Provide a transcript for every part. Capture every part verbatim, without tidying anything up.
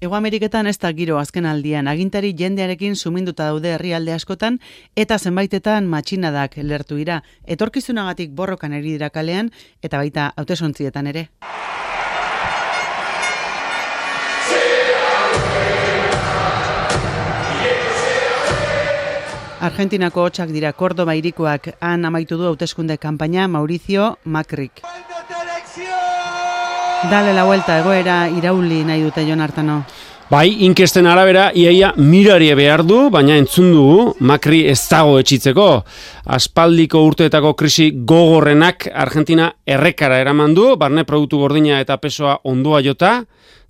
Hego Ameriketan ez da giro azken aldian, agintari jendearekin suminduta daude herrialde askotan eta zenbaitetan matxinadak lertu dira. Etorkizunagatik borrokan ari dira kalean eta baita hautesontzietan ere. Argentinako hotsak dira Kordoba hirikoak, han amaitu du hauteskunde kanpaina Mauricio Macrik. Dale la vuelta, egoera irauli nahi dute Jon Artano. Bai, inkesten arabera, iaia mirarie behar du, baina entzun dugu, Macri ez dago etxitzeko. Aspaldiko urteetako krisi gogorrenak Argentina errekara eraman du, barne produktu gordina eta pesoa ondoa jota,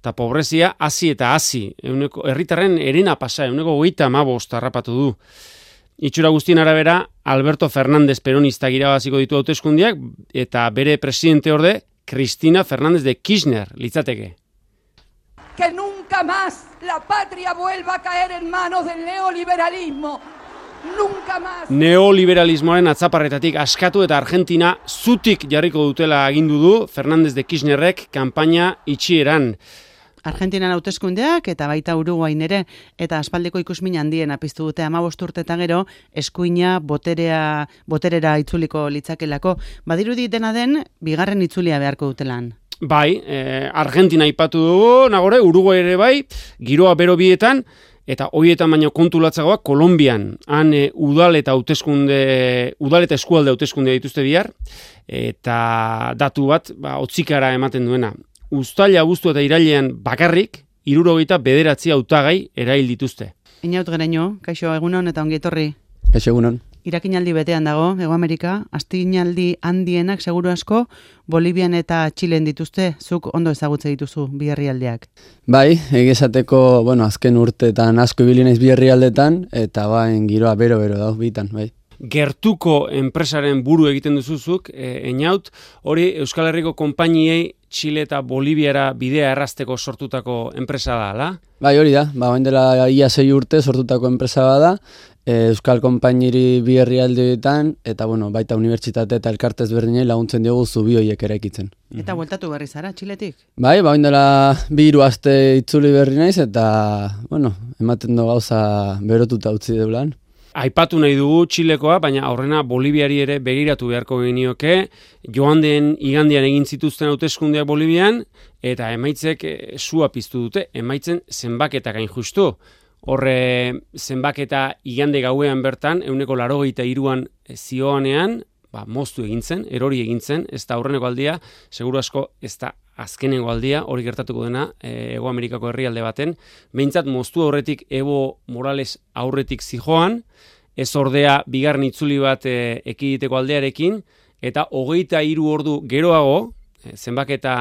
eta pobrezia hasi eta hasi. Herritarren erena pasa, euneko hogeita hamabost harrapatu du. Itxura guztien arabera, Alberto Fernández peronista irabaziko ditu hauteskundiak eta bere presidente orde, Cristina Fernández de Kirchner litzateke. Que nunca más la patria vuelva a caer en manos del neoliberalismo. Nunca más. Neoliberalismoaren atzaparretatik askatu eta Argentina zutik jarriko dutela agindu du Fernández de Kirchnerrek kanpaina itxieran. Argentinan hauteskundeak eta baita Uruguain ere, eta aspaldiko ikusmin handien apiztu dute hamabost urte eta gero, eskuina boterea, boterera itzuliko litzakelako. Badirudi dena den, bigarren itzulia beharko dutelan. Bai, eh, Argentina aipatu dugu, nagore, Uruguai ere bai, giroa bero bietan, eta hoietan baino kontulatzagoa Kolonbian. Han e, udal eta hauteskunde, udal eta eskualde hauteskunde dituzte bihar, eta datu bat, ba, otzikara ematen duena. Uztaila, abuztu eta irailean bakarrik, hirurogeita bederatzi hautagai erail dituzte. Inaut Gereño, kaixo egunon eta ongi etorri. Kaixo egunon. Irakinaldi betean dago, Hego Amerika, astinaldi handienak seguru asko, Bolivian eta Txilen dituzte, zuk ondo ezagutze dituzu bi herrialdeak. Bai, egizateko, bueno, azken urteetan asko ibili naiz bi herrialdetan, eta bain giroa bero-bero dago bitan, bai. Gertuko enpresaren buru egiten duzuzuk, e, einaut, hori Euskal Herriko konpainiei Txile eta Boliviara bidea errazteko sortutako enpresa da, ala? Bai, hori da, ba, bain dela ia sei urte sortutako enpresa bada, e, Euskal konpainiri bi herrialdeetan, eta bueno, baita unibertsitate eta elkarte ezberdinei laguntzen diogu zubi horiek eraikitzen. Eta bueltatu berri zara, Txiletik? Bai, ba, bain dela bi hiru aste itzuli berri naiz, eta, bueno, ematen du gauza berotuta utzi deulan. Aipatu nahi dugu Txilekoa, baina aurrena Boliviari ere begiratu beharko genioke, joan den igandean egin zituzten hauteskundeak Bolivian, eta emaitzek sua piztu dute, emaitzen zenbaketak hain justu. Horre zenbaketa igande gauean bertan, euneko laurogeita hiruan zioanean, ba, moztu egintzen, erori egintzen, ez da aurreneko aldia, seguru asko ez da azkenengo aldia, hori gertatuko dena, e, Hego Amerikako herrialde baten, behintzat moztu aurretik Evo Morales aurretik zijoan, ez ordea bigarren itzuli bat e, ekiditeko aldearekin, eta hogeita hiru ordu geroago, e, zenbaketa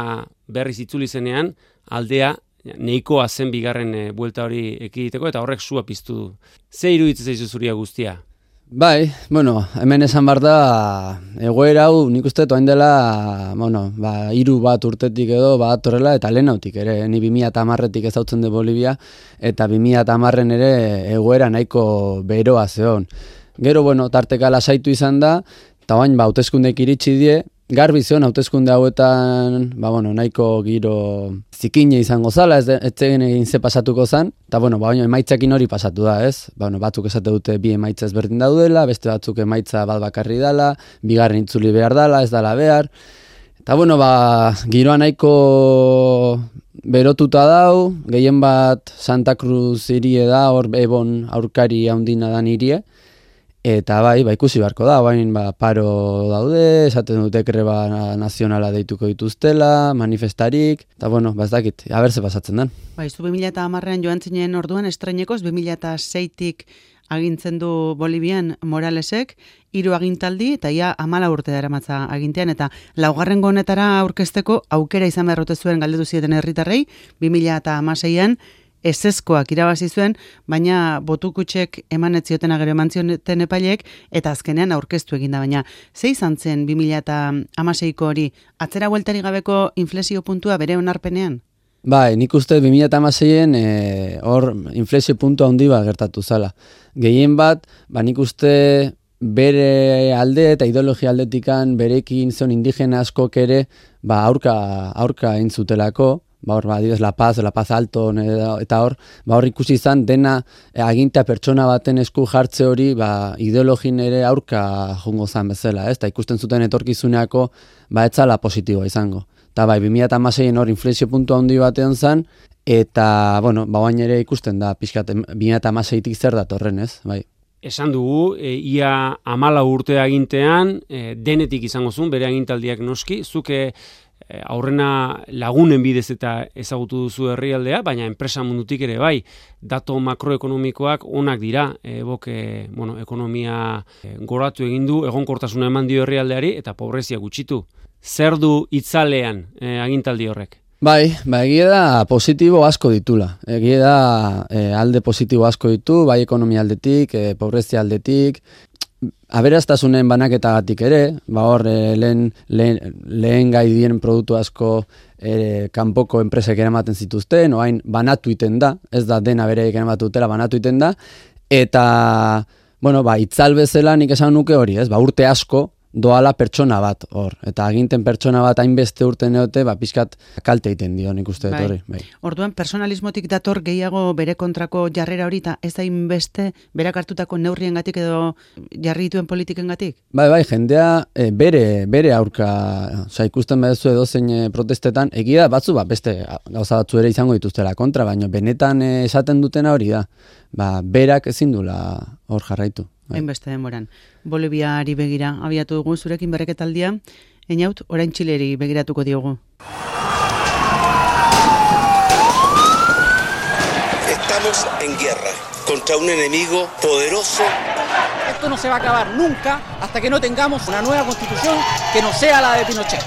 berriz itzuli zenean, aldea nahikoa zen bigarren e, buelta hori ekiditeko, eta horrek sua piztu du. Ze iruditzen zaizu zuria guztia? Bai, bueno, hemen esan behar da, egoera hau nik uste toain dela, bueno, ba, hiru bat urtetik edo bat horrela, eta lehenautik ere, ni bi mila hamarretik ezautzen de Bolivia, eta bi mila hamarren ere egoera nahiko beroa zeon. Gero, bueno, tarteka lasaitu izan da, eta bain, ba, hauteskundek iritsi die, garbi zeon hauteskunde hauetan, ba, bueno, nahiko giro zikine izango zala, ez egin egin ze pasatuko zan, eta bueno, ba, baina emaitzakin hori pasatu da, ez? Ba, bueno, batzuk esate dute bi emaitza ezberdin daudela, beste batzuk emaitza bat bakarri dala, bigarren itzuli behar dala, ez dala behar. Eta bueno, ba, giroa nahiko berotuta dau, gehien bat Santa Cruz irie da, hor ebon aurkari haundina dan irie, eta bai, ba, ikusi beharko da, bain ba, paro daude, esaten dute greba nazionala deituko dituztela, manifestarik, eta bueno, ba ez dakit, haber ze pasatzen den. Ba, izu bi mila hamarrean joan zinen orduan estreinekoz, bi mila seitik agintzen du Bolivian Moralesek, hiru agintaldi, eta ia amala urte daramatza agintean, eta laugarrengo honetara aurkezteko aukera izan beharrote zuen galdetu zieten herritarrei, bi mila hamaseian, ezezkoak irabazi zuen, baina botukutxek eman ez zioten agero eman zioten epaileek, eta azkenean aurkeztu eginda, baina ze izan zen bi mila hamaseiko hori, atzera bueltari gabeko inflexio puntua bere onarpenean? Bai, nik uste bi mila hamaseien hor e, inflexio puntua handi bat gertatu zala. Gehien bat, ba nik uste bere alde eta ideologia aldetikan berekin zon indigena askok ere ba aurka, aurka entzutelako, ba hor, ba, adibidez, La Paz, La Paz Alto, eta hor, ba hor ikusi izan dena e, agintea pertsona baten esku jartze hori, ba, ideologin ere aurka jungo zan bezala, ez? Ta ikusten zuten etorkizuneako, ba, etzala positiboa izango. Eta bai, bi mila hamaseien hor inflexio puntu handi batean zan, eta, bueno, ba, bain ere ikusten da, pixkat, bi mila hamaseitik zer datorren, ez? Bai. Esan dugu, e, ia amala urte agintean, e, denetik izango zuen, bere agintaldiak noski, zuke e, aurrena lagunen bidez eta ezagutu duzu herrialdea, baina enpresa mundutik ere bai, dato makroekonomikoak onak dira, e, bok, e, bueno, ekonomia e, goratu egin du, egonkortasuna eman dio herrialdeari, eta pobrezia gutxitu. Zer du itzalean e, agintaldi horrek? Bai, ba, egia da positibo asko ditula. Egia da e, alde positibo asko ditu, bai ekonomia aldetik, e, pobrezia aldetik, aberastasunen banaketagatik ere, ba hor e, lehen, lehen, lehen gai dien produktu asko e, kanpoko enpresek eramaten zituzten, oain banatu iten da, ez da dena bereik eramatu dutela, banatu iten da, eta, bueno, ba, itzal bezala nik esan nuke hori, ez, ba, urte asko, doala pertsona bat hor, eta aginten pertsona bat hainbeste urte neote, ba, pixkat kalte egiten dio, nik uste dut hori. Bai. Orduan, personalismotik dator gehiago bere kontrako jarrera hori, eta ez hainbeste berak hartutako neurriengatik edo jarri dituen politikengatik? Bai, bai, jendea e, bere, bere aurka, oza, ikusten baduzu edozein e, protestetan, egia batzu, ba, beste gauza batzu ere izango dituztela kontra, baina benetan e, esaten dutena hori da, ba, berak ezin dula hor jarraitu. Hainbeste denboran. Boliviari begira abiatu dugu zurekin berreketaldia, Einaut, orain Txileri begiratuko diogu. Estamos en guerra contra un enemigo poderoso. Esto no se va a acabar nunca hasta que no tengamos una nueva constitución que no sea la de Pinochet.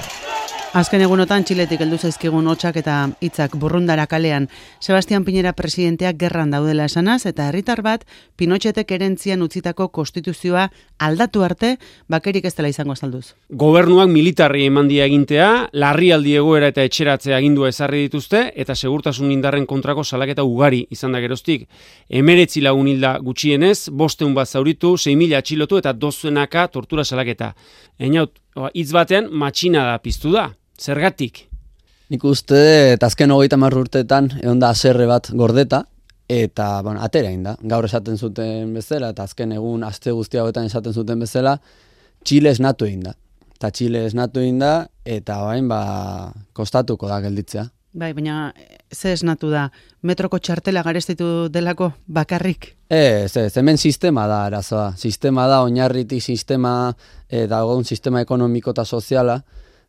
Azken egunotan Txiletik heldu zaizkigun hotsak eta hitzak burrundara kalean. Sebastián Piñera presidenteak gerran daudela esanaz eta herritar bat Pinochetek erentzian utzitako konstituzioa aldatu arte bakerik ez dela izango azalduz. Gobernuak militarri eman die agintea, larrialdi egoera eta etxeratze agindua ezarri dituzte eta segurtasun indarren kontrako salaketa ugari izan da geroztik. Hemeretzi lagun hilda gutxienez, bosteun bat zauritu, sei mila atxilotu eta dozenaka tortura salaketa. Einaut, hitz batean matxina da piztu da. Zergatik? Nik uste, eta azken hogeita hamar urteetan egon da haserre bat gordeta, eta, bueno, atera egin da. Gaur esaten zuten bezala, eta azken egun aste guztia hauetan esaten zuten bezala, Txile esnatu egin da. Eta Txile esnatu egin da, eta orain ba, kostatuko da gelditzea. Bai, baina ze esnatu da? Metroko txartela garestitu delako bakarrik? Ez, ez, hemen sistema da arazoa. Sistema da, oinarritik sistema, e, dagoen sistema ekonomiko eta soziala.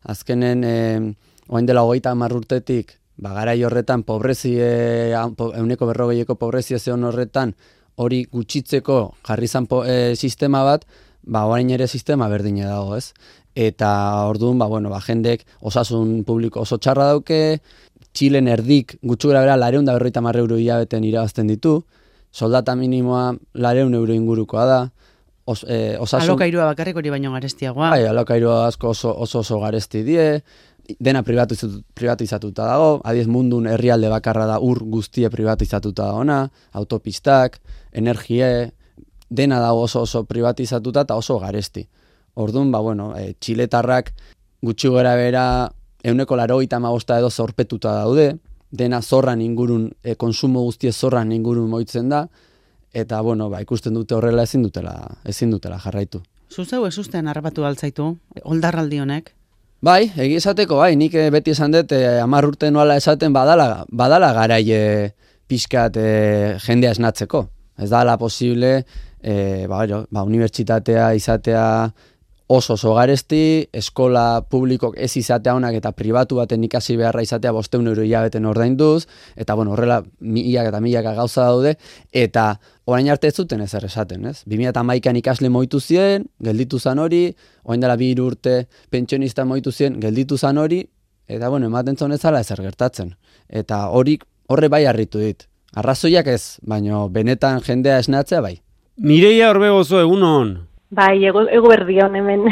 Azkenen, e, oain dela hogeita hamar urtetik, ba, garai horretan, pobrezi, e, euneko berrogeieko pobrezia zeon horretan, hori gutxitzeko jarri zan e, sistema bat, ba, orain ere sistema berdine dago, ez? Eta orduan, ba, bueno, ba, jendek osasun publiko oso txarra dauke, Txilen erdik gutxu gara bera lareun da berroita hamar euro hilabeten irabazten ditu, soldata minimoa lareun euro ingurukoa da, Os, eh, osasun... Alokairua bakarrik hori baino garestiagoa. Bai, alokairua asko oso oso, oso garesti die, dena privatizatu, privatizatuta dago, adiez mundun herrialde bakarra da ur guztie privatizatuta dagoena, autopistak, energie, dena dago oso oso privatizatuta eta oso garesti. Orduan, ba, bueno, e, txiletarrak gutxi gora bera euneko laurogeita hamabosta edo zorpetuta daude, dena zorran ingurun, e, konsumo guztie zorran ingurun moitzen da, eta, bueno, ba, ikusten dute horrela ezin dutela, ezin dutela jarraitu. Zuzeu ez ustean harrapatu altzaitu, oldarraldi honek? Bai, egi esateko, bai, nik beti esan dut, eh, hamar urte noala esaten badala, badala garaie pixkat eh, jendea esnatzeko. Ez dala posible, eh, ba, ba, unibertsitatea izatea oso oso garesti, eskola publikok ez izatea honak eta pribatu baten ikasi beharra izatea bosteun euro hilabeten ordainduz, eta bueno, horrela milak eta milaka gauza daude, eta orain arte ez zuten ezer esaten, ez? bi mila hamaikan ikasle moitu zien, gelditu zan hori, orain dela bi hiru urte pentsionista moitu zien, gelditu zan hori, eta bueno, ematen zon ezala ezer gertatzen. Eta hori horre bai harritu dit. Arrazoiak ez, baina benetan jendea esnatzea bai. Mireia Orbegozo, egunon. Bai, ego, ego berdion hemen.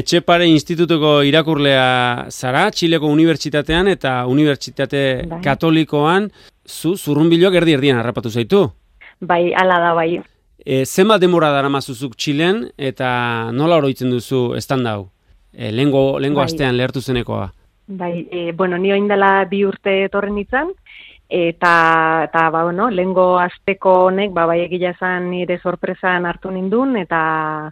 Etxepare institutuko irakurlea zara, Txileko unibertsitatean eta unibertsitate bai. Katolikoan, zu zurrunbiloak erdi erdian harrapatu zaitu? Bai, ala da bai. E, zenbat demora daramazuzuk Txilen eta nola oroitzen duzu estanda hau? E, lengo lengo bai. astean lehertu zenekoa. Bai, e, bueno, ni oindela bi urte etorren itzan, eta, eta ba, bueno, lehengo asteko honek, ba, bai egia esan nire sorpresan hartu nindun, eta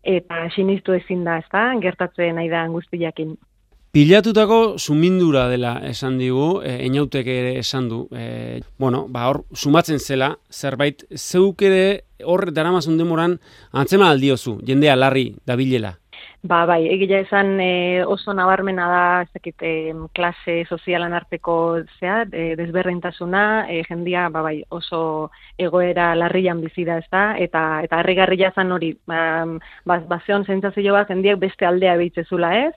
eta sinistu ezin da, ezta, gertatzen nahi da guztiakin. Pilatutako sumindura dela esan digu, e, Einautek ere esan du. E, bueno, ba hor, sumatzen zela, zerbait, zeuk ere hor daramazun demoran antzema aldiozu, jendea larri dabilela. Ba, bai, egia esan e, oso nabarmena da, ez dakit, e, klase sozialan arteko zea, e, desberdintasuna, e, jendia, ba, bai, oso egoera larrian bizi da, ez da, eta, eta harrigarria zan hori, ba, ba, bazeon sentsazio bat, jendiak beste aldea behitzezula ez,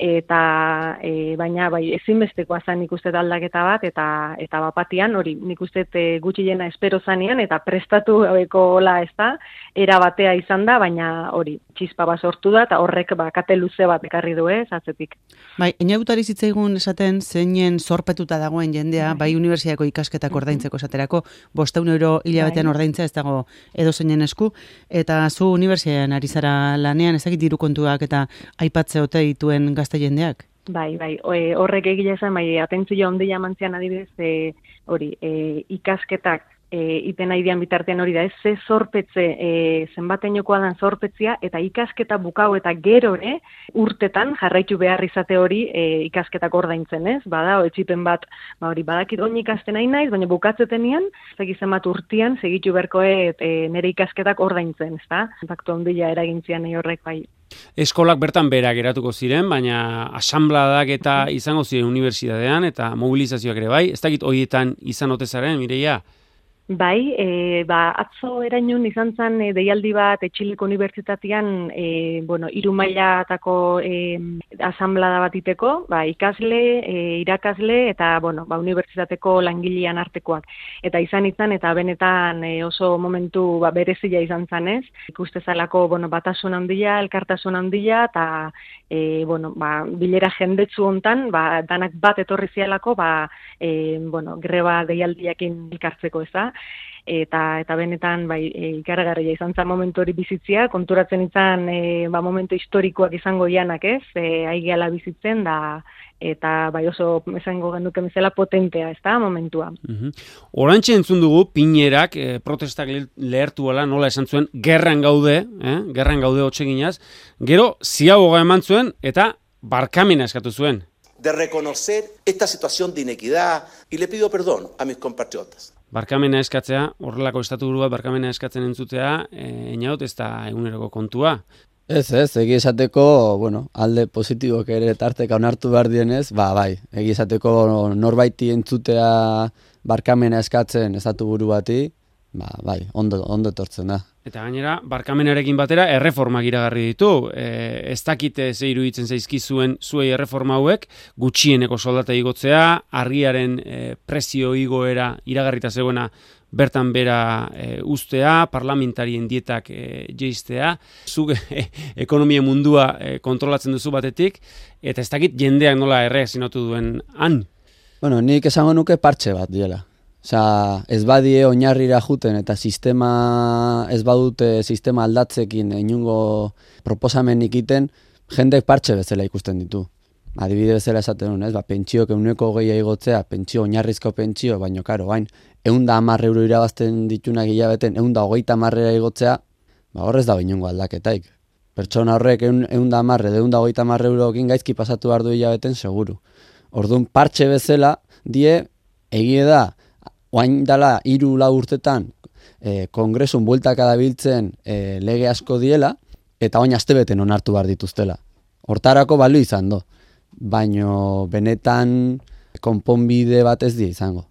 eta e, baina bai ezinbestekoa zen nik uste aldaketa bat eta eta bapatian hori nik uste e, gutxiena espero zanean eta prestatu gabekola ez da era batea izan da baina hori txispa bat sortu da eta horrek ba kate luze bat ekarri du ez atzetik. Bai, Einautari zitzaigun esaten zeinen zorpetuta dagoen jendea bai, bai unibertsitateko ikasketak ordaintzeko esaterako bostehun euro hilabetean bai. Ordaintzea ez dago edozeinen esku eta zu unibertsitatean ari zara lanean ezagik diru kontuak eta aipatze ote dituen gazte jendeak? Bai, bai, e, horrek egile esan, bai, atentzio handia mantzian adibidez, e, hori, e, ikasketak e, iten nahi dian bitartean hori da, ez ze zorpetze, e, zenbateinokoa dan zorpetzia, eta ikasketa bukau eta gero ere, urtetan jarraitu behar izate hori e, ikasketak ordaintzen, ez? Bada, etxipen bat, ba hori, badakit oin ikasten nahi naiz, baina bukatzetenian, segizen bat urtian, segitu berkoe e, nire ikasketak ordaintzen, ez da? Impactu handia eragintzian nahi horrek bai. Eskolak bertan bera geratuko ziren, baina asanbladak eta izango ziren unibertsitatean eta mobilizazioak ere bai. Ez dakit horietan izan ote zaren, Mireia? Bai, e, ba, atzo erainun izan zen e, deialdi bat Txileko Unibertsitatean e, bueno, hiru mailatako e, asanblada bat iteko, ba, ikasle, e, irakasle eta bueno, ba, unibertsitateko langilean artekoak. Eta izan izan eta benetan e, oso momentu ba, berezia izan zen ez. Ikuste zalako bueno, batasun handia, elkartasun handia eta e, bueno, ba, bilera jendetsu hontan, ba, danak bat etorri zialako ba, e, bueno, greba deialdiakin elkartzeko ez da. Eta eta benetan bai e, ikaragarria izan zen momentu hori bizitzia, konturatzen izan e, ba, momentu historikoak izango ianak ez, e, aigeala bizitzen da eta bai oso esango genuke bezala potentea, ez da, momentua. Uh-huh. Orantxe entzun dugu, Piñerak eh, protestak lehertu ala, nola esan zuen, gerran gaude, eh? gerran gaude hotxeginaz, gero ziaboga eman zuen eta barkamena eskatu zuen. De reconocer esta situación de inequidad y le pido perdón a mis compatriotas. Barkamena eskatzea, horrelako estatuburu bat barkamena eskatzen entzutea, e, Einaut ez da eguneroko kontua. Ez, ez, egi esateko, bueno, alde positiboak ere tarteka onartu behar dienez, ba, bai, egi esateko norbaiti entzutea barkamena eskatzen estatuburu bati, ba, bai, ondo, ondo etortzen da. Eta gainera, barkamenarekin batera erreformak iragarri ditu. E, ez dakite ze iruditzen zaizkizuen zuei erreforma hauek, gutxieneko soldata igotzea, argiaren e, prezio igoera iragarrita zegoena bertan bera e, ustea, parlamentarien dietak e, jeistea, zuk e, ekonomia mundua e, kontrolatzen duzu batetik, eta ez dakit jendeak nola erreakzionatu duen han. Bueno, nik esango nuke partxe bat diela. Osea, ez badie oinarrira juten eta sistema ez badute sistema aldatzekin inungo proposamenik iten, jendek partxe bezala ikusten ditu. Adibide bezala esaten duen, ez? Ba, pentsioak ehuneko hogei igotzea, pentsio oinarrizko pentsio, baino karo, bain, ehun eta hamar euro irabazten ditunak hilabeten, ehun eta hogeita hamarrera igotzea, ba, horrez da inungo aldaketaik. Pertsona horrek ehun eta hamar, ehun eta hogeita hamar eurokin gaizki pasatu behar du hilabeten seguru. Orduan, partxe bezala die egie da oain dala hiru lau urtetan e, kongresun bueltaka dabiltzen e, lege asko diela, eta oain astebeten onartu behar dituztela. Hortarako balio izan do, baino benetan konponbide bat ez die izango.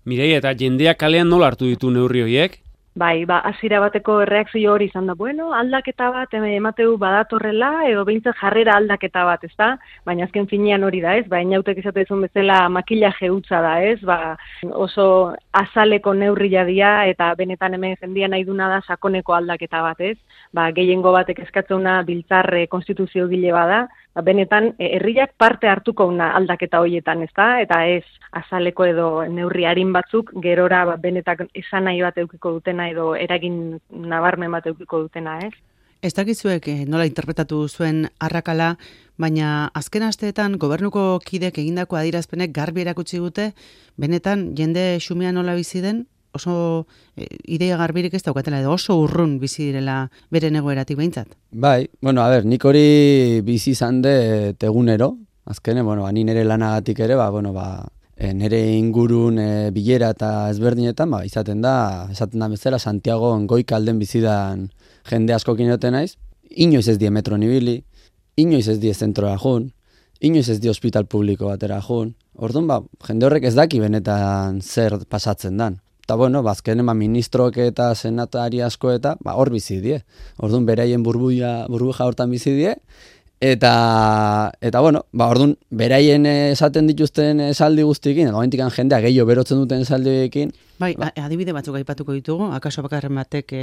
Mirei, eta jendeak kalean nola hartu ditu neurri horiek? Bai, ba, hasiera bateko erreakzio hori izan da, bueno, aldaketa bat emateu badatorrela, edo behintzat jarrera aldaketa bat, ez da? Baina azken finean hori da, ez? Ba, Einautek esatezun bezala makillaje hutsa da, ez? Ba, oso azaleko neurria dira, eta benetan hemen jendia nahi duna da sakoneko aldaketa bat, ez? Ba, gehiengo batek eskatzuna biltzar konstituzio gile bada, ba, benetan herriak parte hartuko una aldaketa horietan, ez da? Eta ez azaleko edo neurri arin batzuk, gerora ba, benetan esan nahi bat eukiko dutena edo eragin nabarmen bat eukiko dutena, ez? Ez dakizuek eh, nola interpretatu zuen arrakala, baina azken asteetan gobernuko kidek egindako adierazpenek garbi erakutsi dute, benetan jende xumea nola bizi den, oso e, ideia garbirik ez daukatela, edo oso urrun bizi direla beren egoeratik behintzat. Bai, bueno, a ber, nik hori bizi izan de egunero, azkene, bueno, ba, ni nire lanagatik ere, ba, bueno, ba, e, nire ingurun e, bilera eta ezberdinetan, ba, izaten da, esaten da bezala, Santiago goikalden bizidan jende askokin egoten naiz, inoiz ez die metro nibili, inoiz ez die zentroa jun, inoiz ez die hospital publiko batera jun, orduan, ba, jende horrek ez daki benetan zer pasatzen dan. Eta, bueno, bazkenen ba, ministroak eta senatari asko eta ba, hor bizi die. Orduan, beraien burbuja, burbuja hortan bizi die. Eta, eta bueno, ba, orduan, beraien esaten dituzten esaldi guztiekin, edo gaintikan jendea gehiago berotzen duten esaldiekin. Bai, ba, adibide batzuk aipatuko ditugu, akaso bakarren batek e,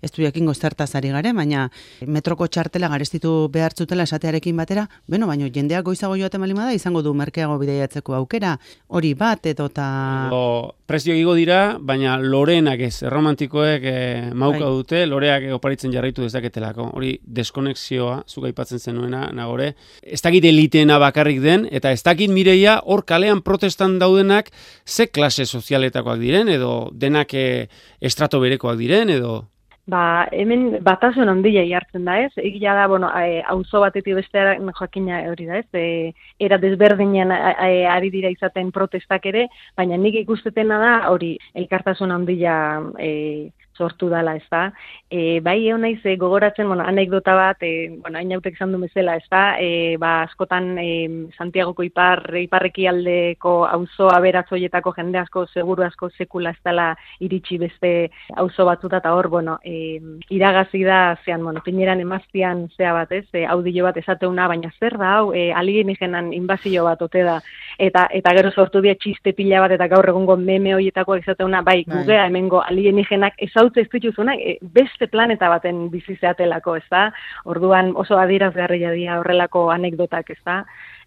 ez du jakingo zertaz ari gare, baina metroko txartela garestitu behartzutela esatearekin batera, beno, baina jendeak goizago joaten bali bada izango du merkeago bidaiatzeko aukera, hori bat edo ta... Edo, prezio igo dira, baina lorenak ez, erromantikoek e, mauka bai. Dute, loreak oparitzen jarraitu dezaketelako. Hori deskonexioa, zuk aipatzen zenuena, nagore, ez dakit eliteena bakarrik den, eta ez dakit Mireia, hor kalean protestan daudenak, ze klase sozialetakoak diren, edo denak e, estrato berekoak diren, edo... Ba, hemen batasun handia jartzen da, ez? Egia da, bueno, auzo batetik besteara joakina hori da, ez? E, era desberdinean ari dira izaten protestak ere, baina nik ikustetena da hori elkartasun handia e, sortu dala, ez da? E, bai, egon naiz, e, gogoratzen, bueno, anekdota bat, e, bueno, hain hautek izan du bezala, ez da? E, ba, askotan e, Santiagoko ipar, iparreki aldeko auzo aberatzoietako jende asko, seguru asko sekula ez dela iritsi beste auzo batzuta, eta hor, bueno, e, iragazi da, zean, bueno, pineran emaztian zea bat, ez? E, audio bat esateuna, baina zer da, hau, e, alienígenan inbazio bat ote da, eta, eta gero sortu dira txiste pila bat, eta gaur egungo meme horietako esateuna, bai, gugea hemengo alienígenak ezautze ez dituzunak, e, beste planeta baten bizi zeatelako, ez da? Orduan oso adierazgarria dira horrelako anekdotak, ez da?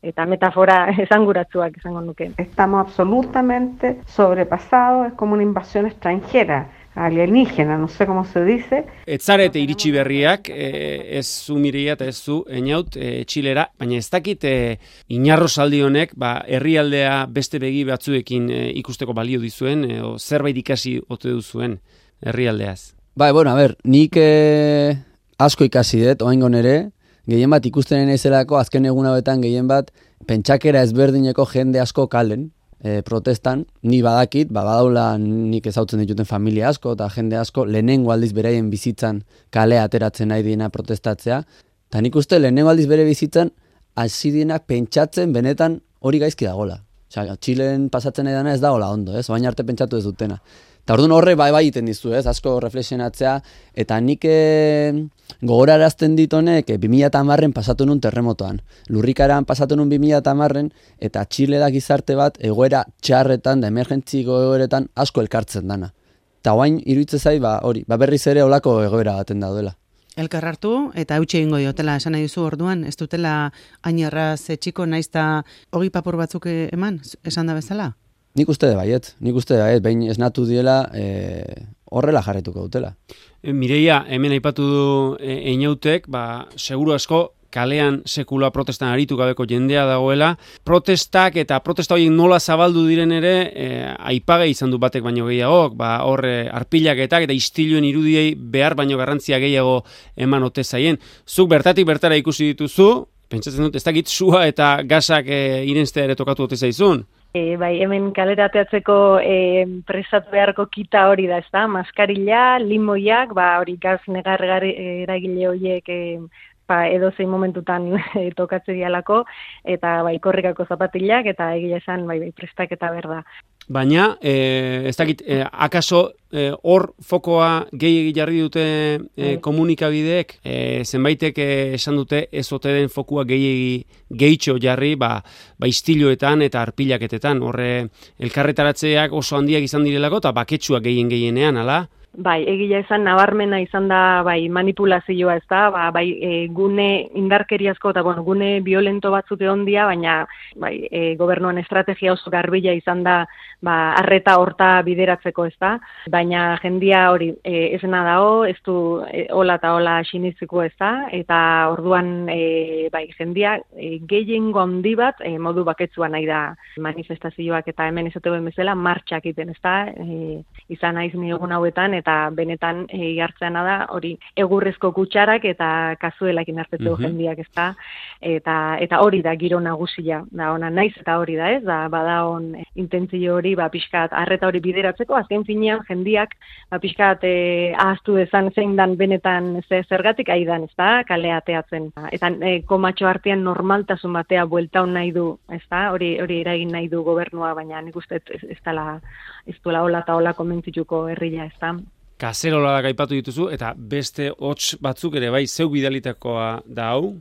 Eta metafora esanguratsuak izango nuke. Estamos absolutamente sobrepasados, es como una invasión extranjera, alienígena, no sé cómo se dice. Etzarete iritsi berriak, e, ez zu Mireia eta ez zu Einaut e, Txilera, baina ez dakit e, inarrosaldi honek, ba, herrialdea beste begi batzuekin e, ikusteko balio dizuen, e, o zerbait ikasi ote duzuen herrialdeaz. Bai, bueno, a ber, nik e, asko ikasi dut, oaingon ere, gehien bat ikusten naizelako azken egun hauetan gehien bat pentsakera ezberdineko jende asko kalen, e, protestan, ni badakit, ba, badaula nik ezautzen dituten familia asko eta jende asko lehenengo aldiz beraien bizitzan kalea ateratzen nahi diena protestatzea, eta nik uste lehenengo aldiz bere bizitzan hasi dienak pentsatzen benetan hori gaizki dagola. Osea, Txilen pasatzen nahi dena ez dagola ondo, ez? Baina arte pentsatu ez dutena. Eta orduan horre bai bai egiten dizu, ez, asko reflexionatzea, eta nik e, gogorarazten dit honek e, bi mila hamarren pasatu nun terremotoan. Lurrikaran pasatu nun bi mila hamarren, eta Txile da gizarte bat egoera txarretan, da emergentziko egoeretan asko elkartzen dana. Eta guain iruditzen zai, ba, hori, ba berriz ere olako egoera baten daudela. Elkar hartu eta eutxe egingo diotela esan nahi duzu orduan, ez dutela hain erraz txiko naizta hogi papur batzuk eman, esan da bezala? Nik uste de baiet, nik uste de baiet, behin esnatu diela e, horrela jarretuko dutela. E, Mireia, hemen aipatu du e, Einautek, ba, seguru asko kalean sekula protestan aritu gabeko jendea dagoela. Protestak eta protesta horiek nola zabaldu diren ere, e, aipagai izan du batek baino gehiagok, ba, hor e, arpilaketak eta istiluen irudiei behar baino garrantzia gehiago eman ote zaien. Zuk bertatik bertara ikusi dituzu, pentsatzen dut, ez dakit sua eta gasak e, irenstea ere tokatu ote zaizun. E, bai, hemen kalera ateatzeko e, prestatu beharko kita hori da, ez da? Maskarilla, limoiak, ba, hori gaz negarregare eragile horiek e, ba, edo zein momentutan e, tokatze dialako, eta bai, korrikako zapatilak, eta egia esan, bai, bai, prestaketa berda. Baina, e, ez dakit, e, akaso hor e, fokoa gehi jarri dute e, komunikabideek, e, zenbaitek e, esan dute ez ote den fokua gehi gehitxo jarri, ba, ba istiloetan eta arpilaketetan, horre elkarretaratzeak oso handiak izan direlako, eta baketsuak gehien gehienean, ala? Bai, egia esan nabarmena izan da bai manipulazioa, ez da, ba, bai e, gune indarkeriazko eta bueno, gune violento batzuk egon dira, baina bai, e, gobernuan estrategia oso garbila izan da ba, arreta horta bideratzeko, ez da, baina jendia hori e, esena dao, ez du e, hola eta hola siniziko, ez da, eta orduan e, bai, jendia e, gehiengo handi bat e, modu baketsuan nahi da manifestazioak eta hemen esaten bezala martxak egiten, ez da, e, izan naiz ni egun hauetan, eta benetan e, hartzeana da hori egurrezko kutsarak eta kazuelakin hartzeko Mhm. jendiak, ez da, eta, eta hori da giro nagusia, da ona naiz eta hori da, ez, da bada on intentzio hori, ba, pixkat, arreta hori bideratzeko, azken finean jendiak, ba, pixkat, e, ahaztu dezan zein dan benetan ze, zergatik aidan, ez da, kalea ateatzen, eta e, komatxo artean normaltasun batea buelta hon nahi du, ez da, hori, hori eragin nahi du gobernua, baina nik uste ez, ez dela, ez duela hola eta hola konbentzituko herria, ez da. Kazerola gaipatu dituzu, eta beste hots batzuk ere bai, zeu bidalitakoa da hau?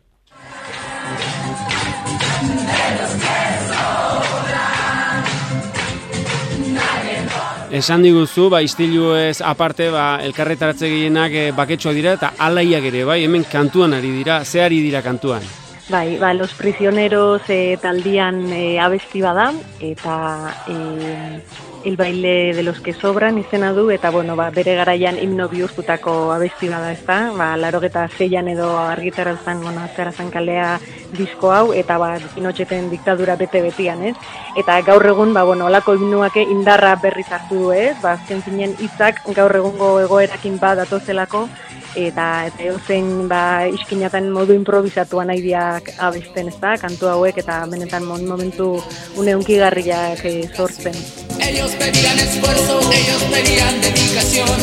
Esan diguzu, ba, istiluez aparte, ba, elkarretaratze gehienak e, baketsuak dira, eta alaiak ere, bai, hemen kantuan ari dira, ze ari dira kantuan? Bai, ba, Los Prisioneros e, taldian e, abesti bada, eta e, El baile de los que sobran izena du, eta bueno, ba, bere garaian himno bihurtutako abesti bada, ez da, ba, larogeta zeian edo argitarazan, bueno, azkarazan kalea disko hau, eta ba, Pinoceten diktadura bete-betian, ez? Eta gaur egun, ba, bueno, olako himnuak indarra berriz hartu du, ez? Ba, azken zinen hitzak gaur egungo egoerakin bat datozelako, eta eta eusen ba iskinatan modu improvisatuan aidiak abesten, ez da, kantu hauek eta benetan momentu une hunkigarriak eh, sortzen. Ellos pedían esfuerzo, ellos pedían dedicación.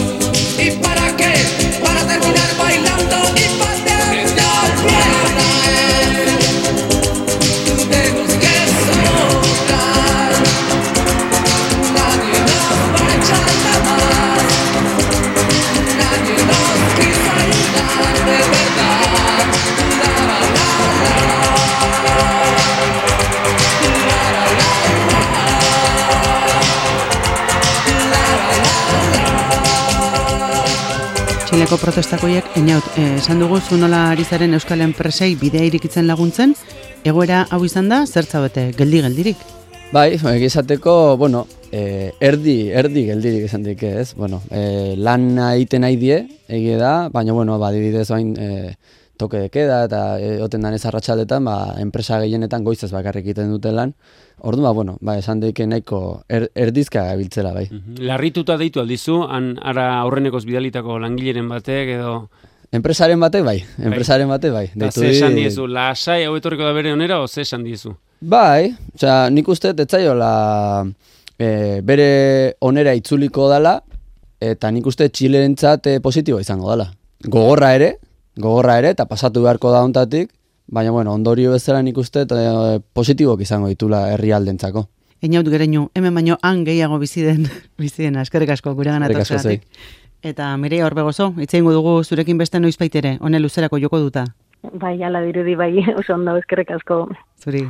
¿Y para qué? Para terminar bailando y pateando al piano. Tenemos que sobrar. Nadie nos va a echar la más. Nadie nos quiso ayudar de verdad. La, la, la, Txileko protestakoiek, eniaut, eh, esan dugu zu nola ari zaren euskal enpresei bidea irikitzen laguntzen, egoera hau izan da, zertza bete, geldi-geldirik? Bai, egizateko, bueno, eh, erdi, erdi geldirik esan dik ez, bueno, eh, lan egiten nahi die, egie da, baina, bueno, ba, dibidez bain, eh, toke de queda eta egoten danez arratsaldetan, ba, enpresa gehienetan goizaz bakarrik egiten dute lan. Orduan, ba, bueno, ba, esan daike nahiko er, erdizka gabiltzela, bai. Larrituta deitu aldizu, han ara aurrenekoz bidalitako langileren batek edo... Enpresaren batek, bai, enpresaren batek, bai. Eta ze esan diezu, lasai hau etorriko da bere onera, o ze esan diezu? Bai, osea, nik uste etzaiola e, bere onera itzuliko dala, eta nik uste Txilerentzat e, positibo izango dala. Gogorra ere, gogorra ere, eta pasatu beharko da hontatik, baina, bueno, ondorio bezala nik uste e, positibok izango ditula herrialdentzako. Einaut gereinu, hemen baino han gehiago bizi den, bizi dena, eskerrik asko gure ganatortzeatik. Eta Mireia Orbegozo, hitz egingo dugu zurekin beste noizbait ere, hone luzerako joko duta. Bai, ala dirudi bai, oso ondo, eskerrik asko. Zuri.